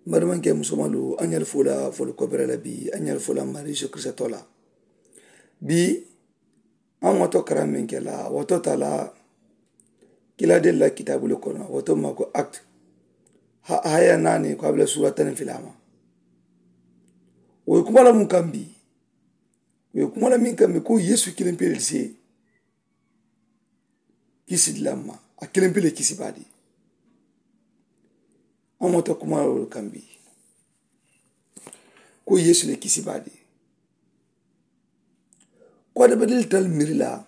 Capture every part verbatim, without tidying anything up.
N badimankee musomalu, a ñaali fula folu kobere la bii, a ñaali fula mariisu kirisitoo la. Bii a ŋoto karaŋ meŋ ke la wato tala. Kila de la kitaabulu kono wato ma ko akt. Haya naani ko a bula suura tani filama. Wo kuma la mun kambi? Wo kuma la min kambi ko yesu kilimpe de se. Kisi di la ma a kilimpe de kisi baadi. A ŋoto kuma la kambi ko yesu le kisi baadi. Ko a dabadili tal mirila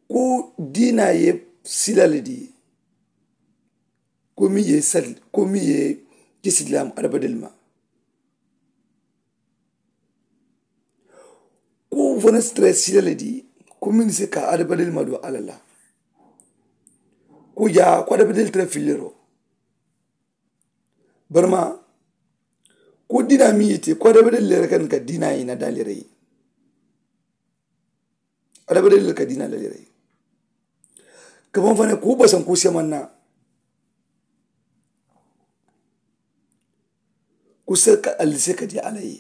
ko diina ye sila le di. Ko mi ye sal ko mi ye kisi di la ma a dabadili ma. Ko fana si tara sila le di ko mi ni se ka a dabadili ma do ala la. Ko ja ko a dabadili tara filero. Barma ko diina mi ye te ko a dabadili le kan ka diina ye na dalere ye. Adamadiŋ le ka diina la le rey. Ka maŋ fanaŋ kuu basaŋ kuu semaŋ na. Kuu se ka ali se ka di alla ye.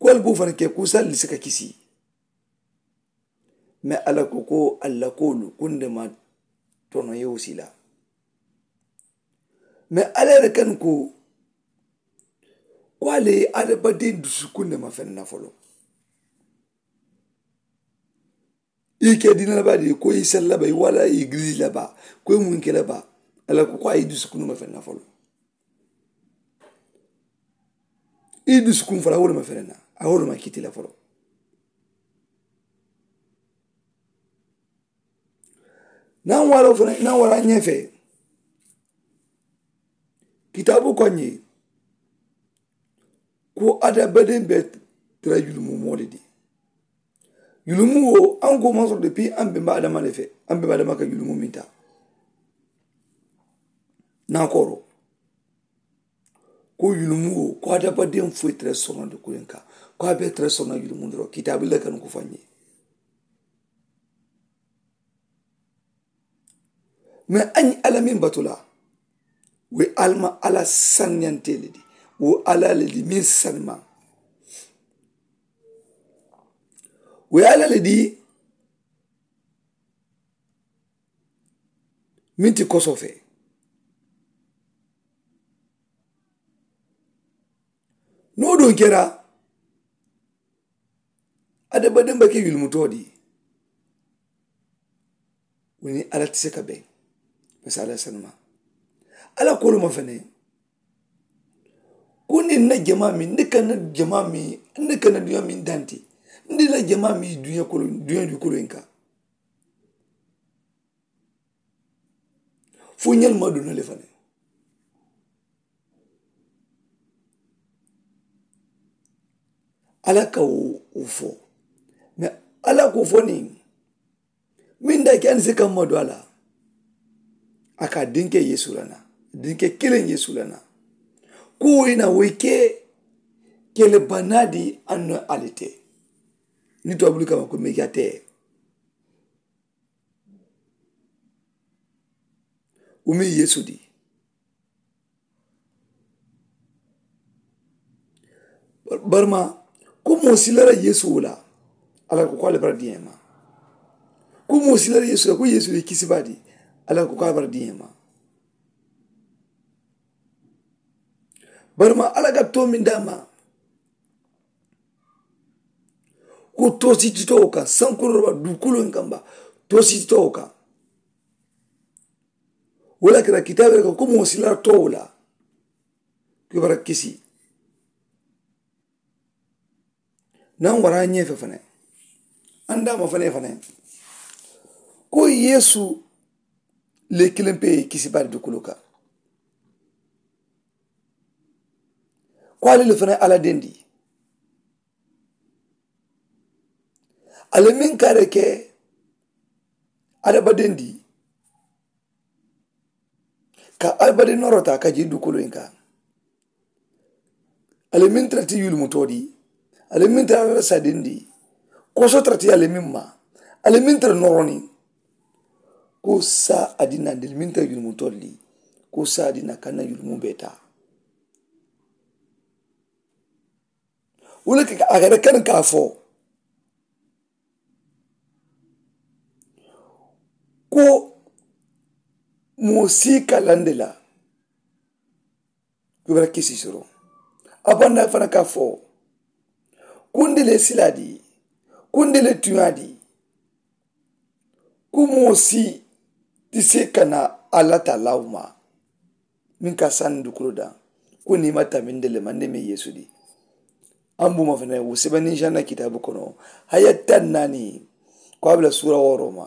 Kuu ali boo fanaŋ ke kuu se ali se ka kisi. Me alla ko ko alla koolu kundema tono yewo sila. Me alla yere kan ko ko ale ye adamadiŋ dusukunde ma fenna folo. I ke diina laba de ko i sella ba i wala i gilisi laba ko i munke laba. Alla ko ko a ye dusukunde ma fenna folo. I dusukun folo a wolu ma fenna a wolu ma kiti la folo. Naŋ wara fanaŋ naŋ wara ñefe. Kitaabu ko ñe ko adamadiŋ be tara yulumu moo le di. Yulumu wo aŋ ko maŋ soto de pii aŋ bemba adama le fe. Aŋ bemba adama ka yulumu minta. Naŋ koro ko yulumu wo ko adamadiŋ foyi tara sono de kuliŋ ka ko a be tara sono yulumu doro kitaabu le kanu ko faŋ ñe. Mais a ñiŋ alla meŋ batu la wo ye alla ma alla saniyante le di. Wo ye alla le di meŋ sanimaŋ wo ye alla le di. Meŋ ti kosoo fee niŋ wo duŋ kera. Adamadiŋ be ke yulumutoo di. Wo niŋ alla ti se ka beŋ basa alla sanuma. Alla koolu ma fene ko niŋ na jamaa miŋ n de ka na jamaa miŋ n de ka na duñaa miŋ danti n de la jamaa miŋ duñaa kolo duñaa dukolo in kaŋ. Fo ñalu ma duna le fanaŋ. Alla ka wo fo. Mais alla ko fo niŋ meŋ da ke a ni se ka ma do a la. A ka dinke yesu la na dinke kiliŋ yesu la na. Ko wo ye na wo ye ke kele banaa di a no ali te. Ni tubabulu kama ko meja te. Wo meŋ yesu di. Barima ko moo silara yesu wo la. Alla ko ko alla bara diŋ ye ma. Ko moo silara yesu la ko yesu ye kisibaa di. Alla ko ko alla bara diŋ ye ma. Barima alla ka too meŋ daa ma ko toosititoo kaŋ sankuroba duukuloŋ kaŋ ba toosititoo kaŋ. Wo le kira kitaabe le ko ko moo sila too wo la. Kibara kisi. Naŋ wara ñeefe fanaŋ andaama fanaŋ fanaŋ ko yeesu le kiliŋ pe ye kisi bari duukuloŋ kaŋ. Ko ali le fanaŋ alla dendi. Ali meŋ ka a le ke adamadiŋ di ka adamadiŋ nooroo taa ka jii duukuloŋ in kaŋ. Ali meŋ tara ti yulimutoo di. Ali meŋ tara alla la sadiŋ di. Koso tara ti ali meŋ ma ali meŋ tara nooroo niŋ. Ko saa adinaa ndeli minta yulumu tolli. Ko saa adinaa kanna yulumu beta. Wala ka a kada kan ka fo ko moo sii ka lande la. Kibara kisi soro a banda fana ka fo kundele siladi kundele tuyadi. Ku moo si ti se kana alla ta lawuma min ka sani dukuro da. Ku ni ma taminde le mande me yesu di an buma fene wu sebe ni janna kitabu kono haya tan nani. Ko abla sura woro ma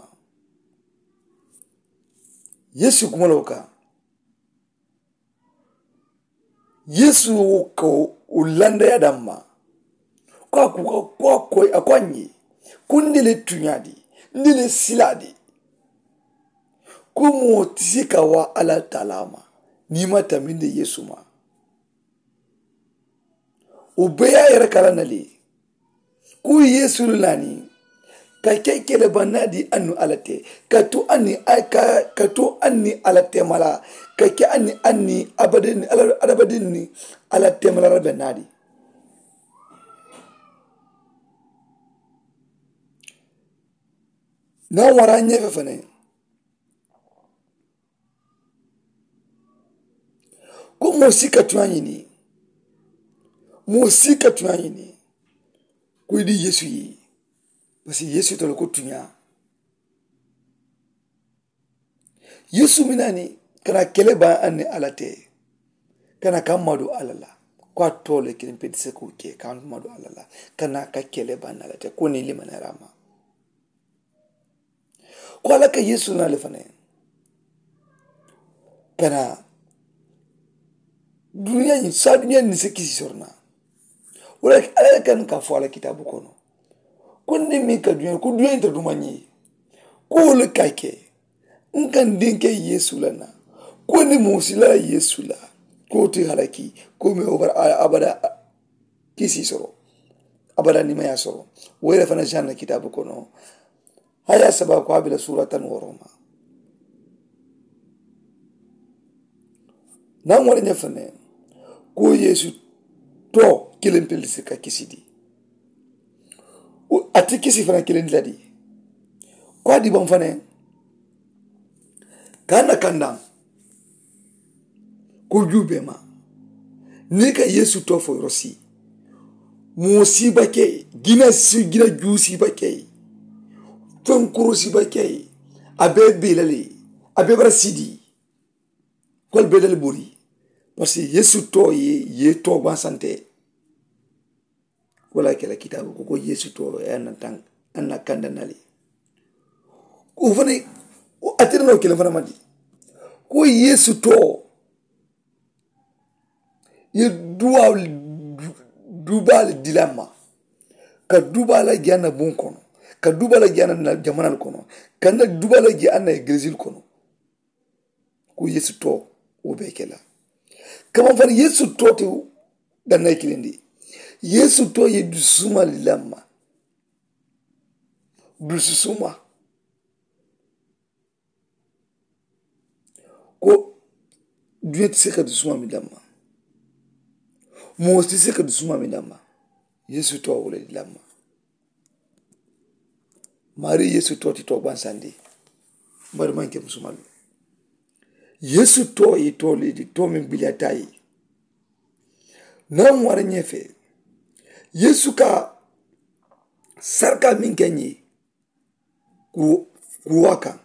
yesu kuma lo ka yesu ka o landa ya damma. Ko a ku ko a ko a ko a nye ko ndele tunyadi ndele siladi. Ko mo tisi ka wa ala talama ni ma taminde yesu ma. O be ya yere kala na le ku yesu lani ka ke kele banna di annu ala te ka tu anni ka tu anni ala te mala ka ke anni anni abadin ala abadin ni ala te mala rabe nadi. Na wara nyefe fane ko moo si ka tuña ñini moo si ka tuña ñini. Ko i di yesu yi basi yesu tolo ko tuña. Yesu mi nani kana kele ba anni ala te kana ka madu ala la. Ko a tole kilim pedi se ko ke ka madu ala la kana ka kele ba anni ala te ko ni limanarama. Ko ala ka yesu na le fana kana duniya ñi sa duniya ni se kisi sorna. Wala ala kan ka fo ala kitabu kono ko ni mi ka duniya ko duniya inta duma ñi ko le ka ke n kan dinke yesu la na ko ni musi la yesu la ko ti halaki ko me obar abada. Kisi soro abada ni maya soro. Were fana janna kitabu kono haya saba ko abila sura tan woroma. Nan wala ñafane ko yesu to kilim pelisi ka kisidi. Ati kisi fana kilim ladi ko adi ban fane kana kandan. Ko jube ma ni ka yesu to fo rosi. Moo siba ke gina si gina juu siba ke. Fenkuru siba ke a be bilali a be bara sidi. Kol bedal buri parce que yesu to ye ye to gwan sante. Wala kela kitabu ko ko yesu to e anna tan anna kanda nali. Ko fane atirno kelen fana mandi ko yesu to ye duwa dubal dilama. Ka dubala gi anna bun kono ka dubala gi anna jamanal kono ka na dubala gi anna eglesil kono. Ko yesu to wo be kela kaman fana yesu to te danna kilindi. Yesu to ye dusuma lama dususuma. Ko duniya ti se ka dusuma mi damma. Moo ti se ka dusuma mi damma. Yesu to wala di damma. Mari yesu to ti to gbansandi. Mari man ke musumalu yesu to yi to li di to min biliyata yi. Nan wara ñefe yesu ka sarka min ke ñi kuruwa kan.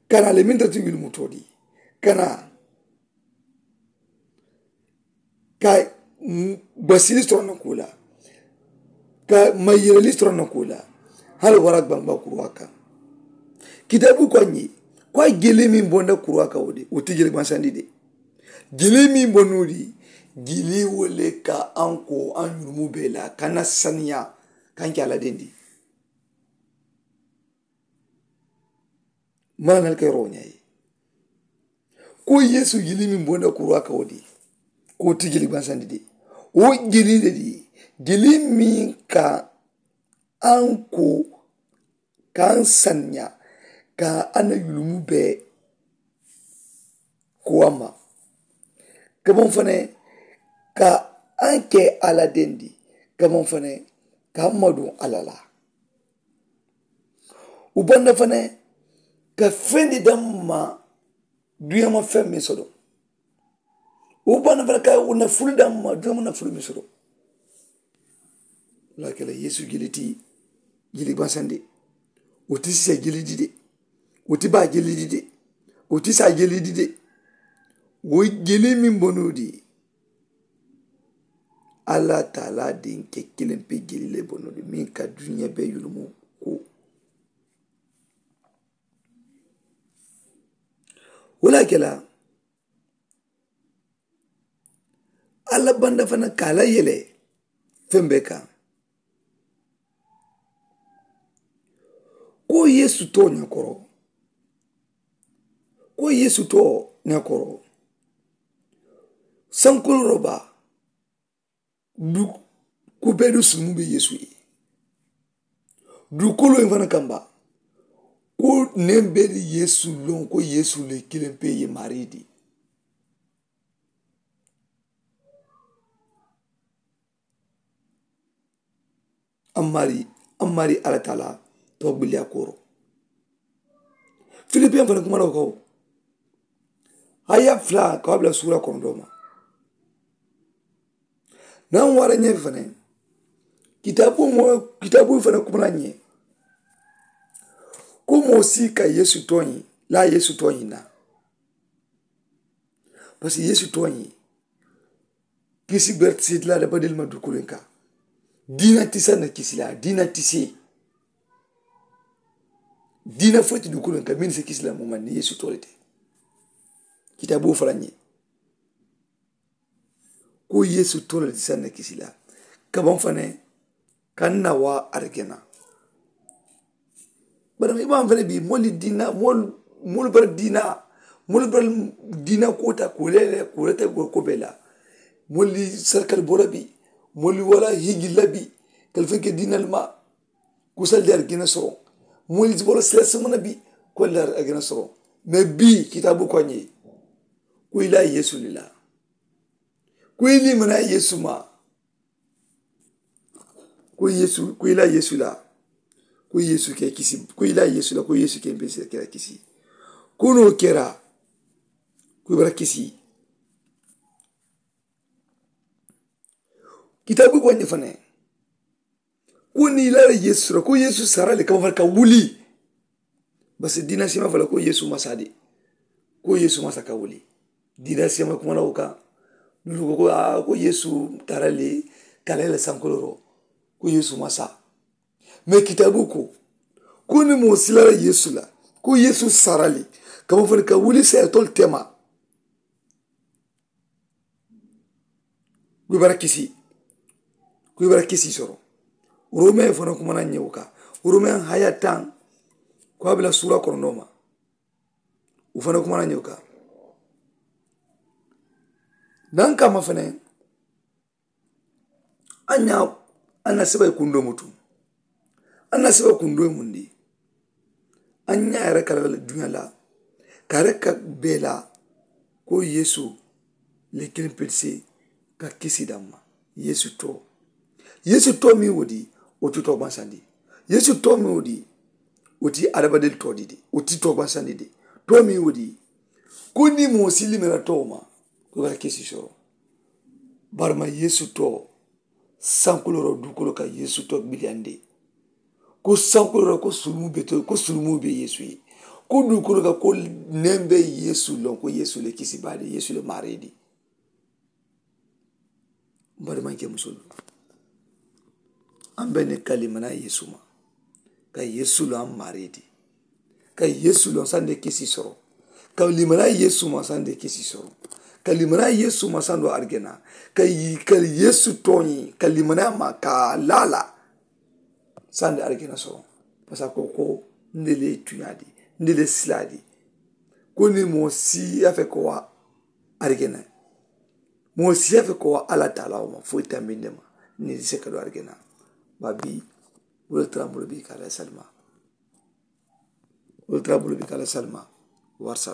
Kana le min tati wili muto di kana ka basili sɔrɔ na kula ka mayirali sɔrɔ na kula. Hali wara gbangba kuruwa kan kitabu ko ñi ko a gele min bonda kuruwa kan o de o ti gele gbansandi de. Gili min bo nuuri gili wo le ka an ko an ñurumu be la kana saniya kan ke ala dendi. Mana nal ke roña ye ko yesu gili min bonda kuruwa ka wo di ko ti gili gbansandi de. Wo gili de di gili min ka an ko ka n saniya ka a na yulumu bee ko a ma. Ka baŋ fanaŋ ka a ke a la dendi ka baŋ fanaŋ ka a ma duŋ a la la. Wo banda fanaŋ ka fendi damma duŋ ma feŋ meŋ soto. Wo banda fanaŋ ka wo nafulu damma duŋ ma nafulu meŋ soto. Wo le ye a ke la yeesu jeli ti jeli bansandi. Wo ti sisa jeli di de. Wo ti baa jeli di de. Wo ti saa jeli di de. Wo jeli meŋ bonoo di alla taalaa diŋ ke kiliŋ pe jeli le bonoo di meŋ ka duniya bee yulumu ko. Wo le ye a ke la alla banda fanaŋ ka a la yele feŋ bee kaŋ. Ko yeesu too ñakoro ko yeesu too ñakoro. Sankoloo baa du ko bee du sulumu be yeesu ye. Duukoloo ye fanaŋ kamba ko neŋ bee di yeesu loŋ ko yeesu le kiliŋ pe ye maarii di. Ammari ammari alla taalaa too gbiliyaa kooro. Filipiyaŋ fanaŋ kuma la wo kawo. Haya fula ka wo a bula suura kono doo ma. Naŋ wara ñee fanaŋ kitaabu moo kitaabu fanaŋ kuma la ñee. Ko moo si ka yeesu tooñi laa yeesu tooñi na. Parisiko yeesu tooñi kisi berti si dila da badil ma dukulen ka. Diina tisa na kisi la diina tisi. Diina fo ti dukulen ka min si kisi la mo man ni yeesu tole te. Kita bo fala ñi ko yeesu tole ti sanna kisi la. Kaban fane kan na wa argena. Bari i b'a fana bi moolu diina moolu moolu bari diina moolu bari diina kota kole le kole te go ko bela. Moolu sarkal bora bi moolu wala hiji labi kalfin ke diina ma. Kusal de argena soro moolu bora sila samana bi. Ko la argena soro me bi kitabu ko ñi. Ko ila yesu lila ko ili mana yesu ma. Ko yesu ko ila yesu la ko yesu ke kisi ko ila yesu la ko yesu ke mbesi kira kisi. Ko no kera ko bara kisi. Kitabu ko ñi fane ko ni ila yesu la ko yesu sarale kama far ka wuli. Basi diina sima fala ko yesu masadi ko yesu masa ka wuli. Diina sima kuma na uka dulu ko ko a ko yesu tarale kalela sankoloro ko yesu masa. Me kitabu ko ko ni mo silara yesu la ko yesu sarale kama fala ka wuli sa tol tema. Ku i bara kisi ku i bara kisi soro. Romeŋ fana kumana ñewo ka romeŋ haya taŋ ko a bila suura kono noma. U fana kumana ñewo ka nan kama fana. An ña an na seba ye kundoo mutu. An na seba kundoo ye mundi. An ña yere ka la duña la ka yere ka bee la ko yeesu le kiliŋ pilisi ka kisi damma. Yeesu too yeesu too miŋ wo di wo ti too bansandi. Yeesu too miŋ wo di wo ti adabadeli too di de wo ti too bansandi de. Too miŋ wo di ko niŋ moo si limela too ma ko i bara kisi soro. Barima yeesu too sankuloro dukolo ka yeesu to biliyandi. Ko sankuloro ko sulumu be to ko sulumu be yeesu ye. Ko dukolo ka ko neŋ be yeesu loŋ ko yeesu le kisi baadi yeesu le maaridi. Mbadi maŋ ke musolu an be ne kalimana yeesu ma ka yeesu loŋ maaridi. Ka yeesu loŋ sande kisi soro ka limana yeesu ma sande kisi soro ka limana yeesu ma sando argena ka ka yeesu toñi ka limana ma ka lala sande argena soro. Pasa ko ko nde le tuñadi nde le siladi ko ni mo si afe ko wa argena mo si afe ko wa ala taala wo ma foyi tambinde ma ni se ka do argena. Ba bi wala tara mbolo bi ka la salima. Wolu tara bulu bi ka la salima. Warisala.